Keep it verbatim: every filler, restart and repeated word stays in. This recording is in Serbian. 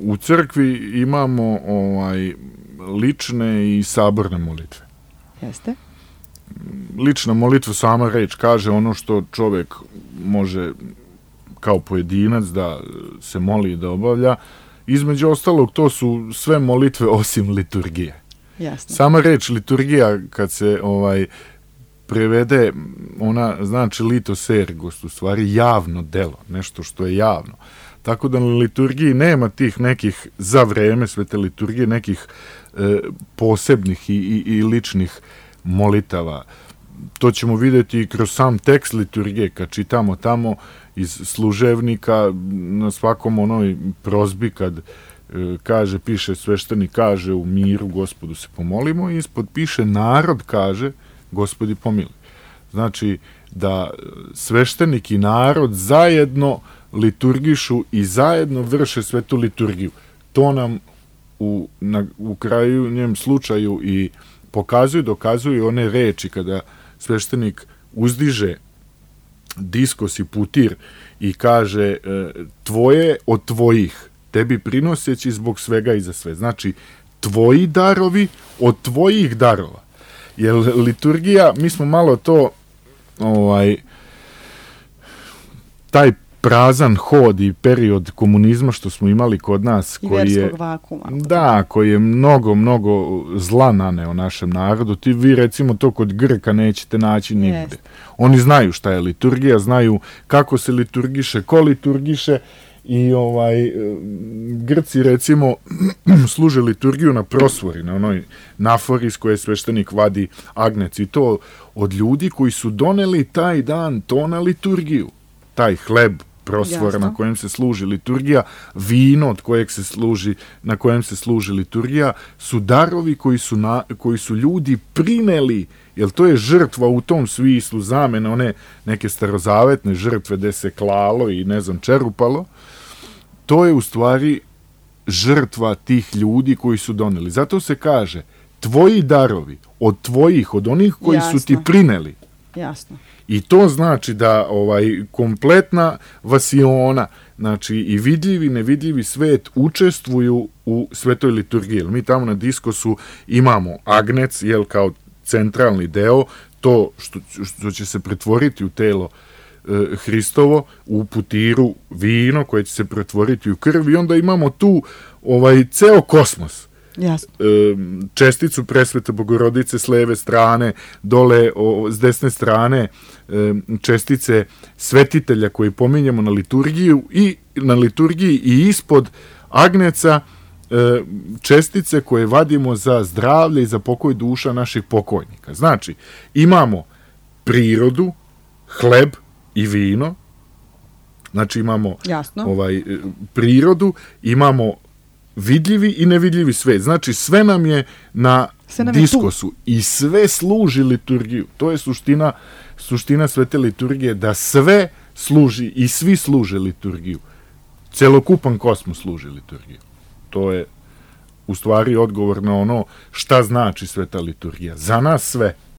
u crkvi imamo ovaj, lične i saborne molitve. Jeste? Lična molitva, sama reč kaže ono što čovjek može kao pojedinac da se moli i da obavlja. Između ostalog, to su sve molitve osim liturgije. Jasno. Sama reč liturgija, kad se ovaj prevede, ona znači litos ergos, u stvari javno delo, nešto što je javno. Tako da na liturgiji nema tih nekih, za vreme svete liturgije, nekih e, posebnih i, i, i ličnih molitava. To ćemo vidjeti i kroz sam tekst liturgije, kad čitamo tamo iz služevnika, na svakom onoj prozbi, kad e, kaže, piše sveštenik, kaže u miru Gospodu se pomolimo, i ispod piše narod kaže Gospodi pomiluj. Znači da sveštenik i narod zajedno liturgišu i zajedno vrše svetu liturgiju. To nam u, na, u kraju njem slučaju i pokazuju, dokazuju one reči kada sveštenik uzdiže diskos i putir i kaže tvoje od tvojih, tebi prinoseći zbog svega i za sve. Znači, tvoji darovi od tvojih darova. Jer liturgija, mi smo malo to ovaj taj prazan hod i period komunizma što smo imali kod nas, I koji je vakuma, da, koji je mnogo, mnogo zla naneo našem narodu. Ti vi recimo to kod Grka nećete naći nigde. Yes. Oni znaju šta je liturgija, znaju kako se liturgiše, ko liturgiše, i ovaj Grci recimo služe liturgiju na prosvori, na onoj nafori s koje sveštenik vadi agnec, i to od ljudi koji su doneli taj dan to na liturgiju. Taj hleb, prosvor na kojem se služi liturgija, vino od kojeg se služi, na kojem se služi liturgija, su darovi koji su, na, koji su ljudi prineli, jer to je žrtva u tom smislu, zamena one neke starozavetne žrtve gde se klalo i ne znam čerupalo. To je u stvari žrtva tih ljudi koji su doneli. Zato se kaže, tvoji darovi od tvojih, od onih koji Jasno. su ti prineli. Jasno. I to znači da ovaj kompletna vasiona, znači i vidljivi i nevidljivi svet učestvuju u svetoj liturgiji. Mi tamo na diskosu imamo agnec, jel, kao centralni deo, to što, što će se pretvoriti u telo e, Hristovo, u putiru vino koje će se pretvoriti u krv, i onda imamo tu ovaj ceo kosmos. Jasno. Česticu presvete Bogorodice s leve strane, dole o, s desne strane čestice svetitelja koji pominjemo na liturgiju i na liturgiji i ispod agneca čestice koje vadimo za zdravlje i za pokoj duša naših pokojnika. Znači, imamo prirodu, hleb i vino, znači imamo Jasno. ovaj prirodu, imamo vidljivi i nevidljivi svet. Znači, sve nam je na nam diskosu je i sve služi liturgiju. To je suština, suština svete liturgije, da sve služi i svi služe liturgiju. Celokupan kosmos služi liturgiju. To je u stvari odgovor na ono šta znači sveta liturgija. Za nas sve.